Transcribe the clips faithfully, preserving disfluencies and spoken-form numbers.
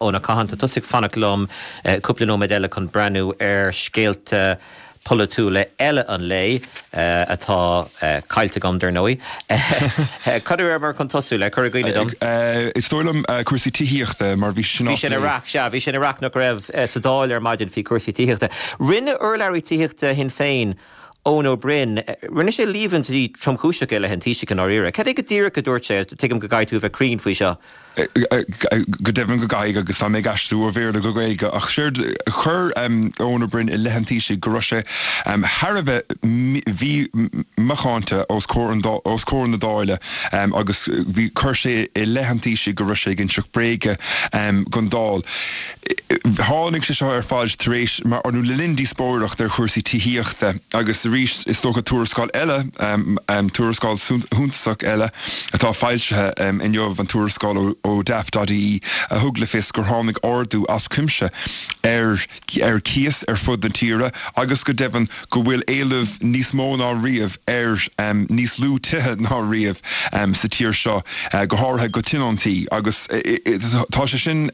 Eoin Ó Catháin, tá tusa ag fanacht liom cúpla nóiméad eile chun breathnú ar scéalta polaitiúla eile an lae atá caillte agam, dar ndóigh. Cad a rabhamar chun tosú le, cuir i gcuimhne dom? Is dóigh liom cúrsaí tithíochta mar bhí sin Bhí sin ina raic, sea, bhí sin ina raic nach raibh sa Dáil ar maidin faoi chúrsaí tithíochta. Rinne urlabhraí tithíochta Shinn Féin, Eoin Ó Broin, rinne sé líomhaintí tromchúiseacha i leith an Taoisigh i ndáiríre. Cad é go díreach a dúirt sé? Tuigim go gcaithfidh tú a bheith cruinn faoi seo. Go deimhin go gcaithfidh agus tá mé ag aistriú ó Bhéarla go Gaeilge ach séard chuir Eoin Ó Broin i leith an Taoisigh go raibh sé thar a bheith mhí-mhacánta os comhair os comhair na Dála agus bhí chuir sé i leith an Taoisigh go raibh sé ag inseacht bréige don Dáil. Tháinig sé seo ar fad tar éis mar nó le linn díospóireacht ar chúrsaí tithíochta agus arís is dócha tuarascáil eile, tuarascáil shuntasach eile atá foilsithe inniu, an tuarascáil ó Daft.ie a thug le fios gur tháinig ardú as cuimse ar ar cíos ar fud na tíre agus go deimhin go bhfuil éileamh níos mó ná riamh ar níos lú tithe ná riamh sa tír seo, go háirithe go tionóntaí agus tá sé sin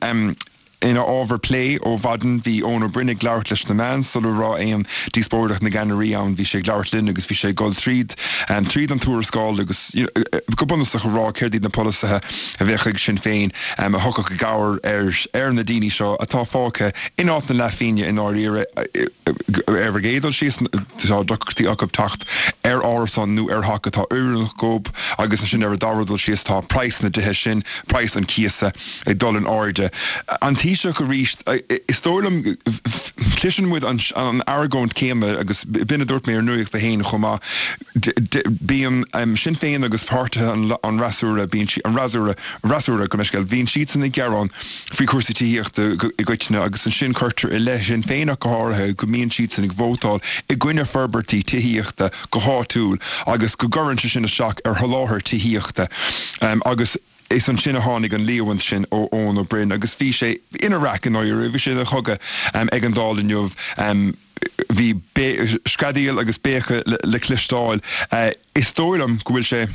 ina ábhar plé ó mhaidin. Bhí Eoin Ó Broin ag labhairt leis na meáin sula raibh aon díospóireacht na gceannairí ann. Bhí sé ag labhairt linn agus bhí sé ag dul tríd tríd an tuarascáil agus go bunúsach a rá céard iad na polasaithe a bheadh ag Sinn Féin a thiocfadh i gcabhair ar ar na daoine seo atá fágtha in áit na leathphingne i ndáiríre. Ar an gcéad dul síos tá deacrachtaí acu teacht ar árasán nó ar theach atá oiriúnach dóibh agus ansin ar an dara dul síos tá praghas na dtithe sin, praghas an chíosa ag dul in airde. An Taoiseach arís, is dóigh liom, cloiseann muid an argóint céanna agus b'in a dúirt mé ar Nuacht a hAon chomh maith, bíonn Sinn Féin agus páirtithe an fhreasúra, bíonn an fhreasúra, fhreasúra gabh mo leithscéal, bíonn siadsan ag gearán faoi chúrsaí tithíochta i gcoitinne agus ansin cuirtear i leith Shinn Féin ach go háirithe go mbíonn siadsan ag vótáil i gcoinne forbairtí tithíochta go háitiúil agus go gcuireann sé sin isteach ar sholáthar tithíochta agus is ansin a tháinig an líomhaint sin ó Eoin Ó Broin agus bhí sé ina raic i ndáiríre, bhí sé ina chogadh ag an Dáil inniu. Bhí screadaíl agus béiceadh le cloisteáil. Is dóigh liom go bhfuil sé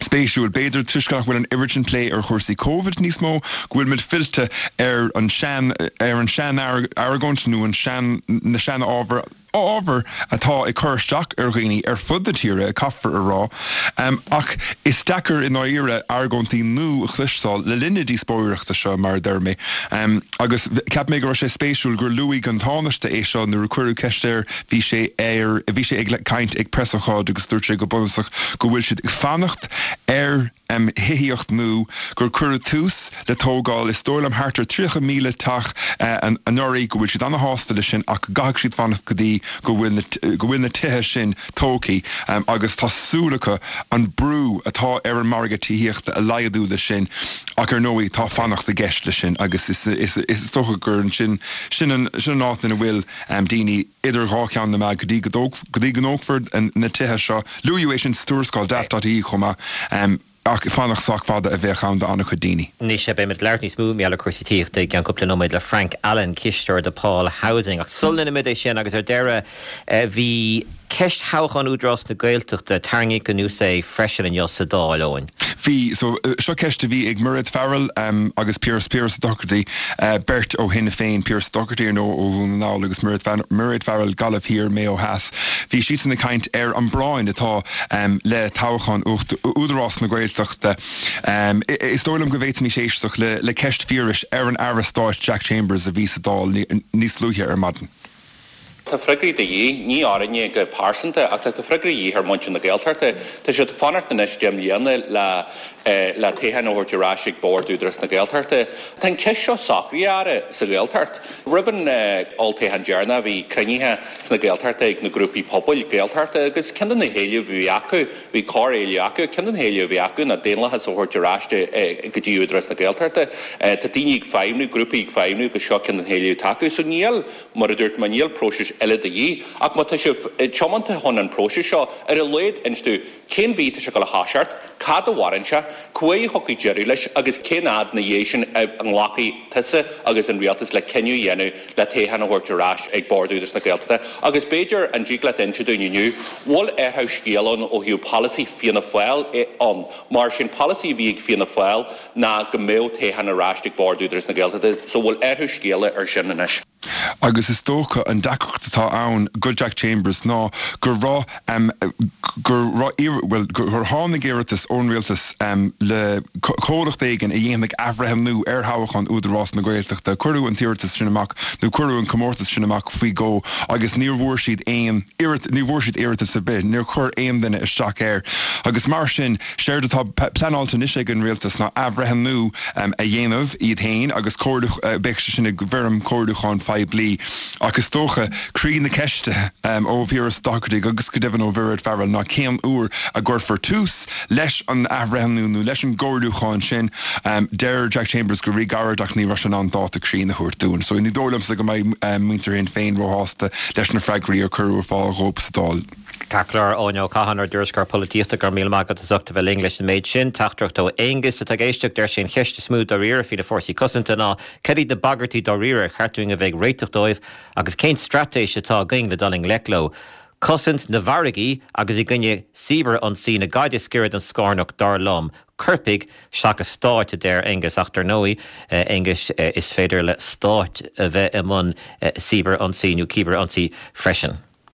spéisiúil, b'fhéidir toisc nach bhfuil an oiread sin plé ar chúrsaí Covid níos mó, go bhfuil muid fillte ar an sean ar an sean-argóint nó an sean na sean-ábhair. ábhar atá ag cur isteach ar dhaoine ar fud na tíre, caithfear a rá. Ach is deacair i ndáiríre argóintí nua a chloisteáil le linn na díospóireachta seo, mar a deir mé. Agus cheap mé go raibh sé spéisiúil gur luaigh an Tánaiste é seo nuair a cuireadh ceist air, bhí sé ar, bhí sé ag caint ag preasócáid agus dúirt sé go bunúsach go bhfuil siad ag fanacht ar, thithíocht nua, gur cuireadh tús le tógáil, is dóigh liom, thart ar tríocha míle teach anuraidh, go bhfuil siad ana-shásta leis sin ach go gcaithfidh siad fanacht go dtí go bhfuil na, go bhfuil na tithe sin tógtha agus tá súil acu an brú atá ar an margadh tithíochta a laghdú leis sin ach ar ndóigh tá fanacht i gceist leis sin agus is, is, is dócha gur ansin, sin an, sin an áit ina bhfuil daoine idir dhá cheann na meá go dtí go dtí go dtógfar na tithe seo. Luadh é sin sa tuarascáil Daft.ie chomh maith. Ach fanacht sách fada a bheadh ann do an-chuid daoine. Anois, beidh muid ag labhairt níos mó mar gheall ar chúrsaí tithíochta i gceann cúpla nóiméad le Frank Allen, cisteoir DePaul Housing. Ach sula ndéanaimid é sin, agus ar deireadh, bhí ceist thoghchán Údarás na Gaeltachta, tarraingíodh anuas é freisin inniu sa Dáil, Eoin. Bhí. So, seo ceist a bhí ag Mairéad Farrell agus Pearse Pearse Doherty, beirt ó Shinn Féin, Pearse Doherty ar ndóigh ó Dhún na nGall agus Mairéad Farrell, Gaillimh Thiar, Maigh Eo Theas. Bhí siadsan ag caint ar an bpráinn atá le toghchán Údarás na Gaeltachta. Is dóigh liom go bhféadfaimis éisteacht le ceist Phiarais ar an Aire Stáit Jack Chambers a bhí sa Dáil níos luaithe ar maidin. Tá freagraí de dhíth, ní orainne go pearsanta, ach tá freagraí de dhíth ar mhuintir na Gaeltachta. Tá siad ag fanacht anois deich mbliana le le toghchán a thabhairt ar ais ag Bord Údarás na Gaeltachta. Tá an cheist seo socraithe, a Aire, sa Ghaeltacht. Roimh an olltoghchán deireanach bhí cruinnithe sna Gaeltachta ag na grúpaí pobail Gaeltachta agus ceann de na héilimh a bhí acu, bhí corr-éileamh acu, ceann de na héilimh a bhí acu ná daonlathas a thabhairt ar ais go dtí Údarás na Gaeltachta. Tá daoine ag feidhmniú, grúpaí ag feidhmniú agus seo ceann de na héilimh atá acu. So níl, mar a dúirt mé, níl próiseas eile de dhíth. Ach má tá sibh tiomanta chun an próiseas seo, ar a laghad inis dúinn Cén mhí tá sé ag dul a thoiseacht, cad a mhaireann sé, cá huair a thiocfaidh deireadh leis agus cén fhad ina dhiaidh sin a nglacfaidh tusa agus an rialtas le cinneadh a dhéanamh le toghchán a thabhairt ar ais ag Bord Údarás na Gaeltachta? Agus b'fhéidir, an dtig leat inse dúinn inniu, bhfuil athrú scéil ann ó thaobh polasaí Fianna Fáil ann? Mar sin polasaí a bhí ag Fianna Fáil ná go mbeadh toghchán ar ais ag Bord Údarás na Gaeltachta, so bhfuil athrú scéala ar sin anois? Agus is dócha an deacracht atá ann go Jack Chambers ná go raibh go raibh bhuel gur tháinig iarratas ón rialtas le comhlacht éigin a dhéanfaidh athbhreithniú ar thoghchán Údarás na Gaeltachta. Cuireadh an t-iarratas sin amach nó cuireadh an comórtas sin amach faoi dhó agus níor bhfuair siad aon ní bhfuair siad iarratas ar bith, níor chuir aon duine isteach air. Agus mar sin séard atá pleanáilte anois ag an rialtas ná athbhreithniú a dhéanamh iad féin agus beidh sé sin i bhfoirm comhairliúcháin phoiblí. Ach is dócha croí na ceiste ó Phiaras Ó Dochartaigh agus go deimhin ó Mhairéad Farrell ná cén uair a gcuirfear tús leis an athbhreithniú nó leis an gcomhairliúchán sin. Deir Jack Chambers go ríghairid ach ní raibh sé in ann dáta cruinn a thabhairt dúinn. So ní dóigh liomsa go mbeidh muintir Shinn Féin róshásta leis na freagraí a cuireadh ar fáil dhóibh sa Dáil. Ceart go leor, Eoin Ó Catháin, ár dtuairisceoir polaitíochta, go raibh míle maith agat as ucht a bheith linn leis an méid sin. Teachtaireacht ó Aonghus atá ag éisteacht, deir sé an cheist is mó dáiríre faoi na fórsaí cosanta ná cad iad na bagairtí dáiríre ar cheart dúinn a bheith ag réiteach dóibh agus cén straitéis atá againn le dul i ngleic leo. Cosaint na bhfarraigí agus i gcoinne cibear-ionsaí na caide is giorra don scornach dar liom. Coirpigh seachas stáit a deir Aonghus ach dar ndóigh Aonghus is féidir le stáit a bheith i mbun cibear-ionsaí nó cibear-ionsaí freisin.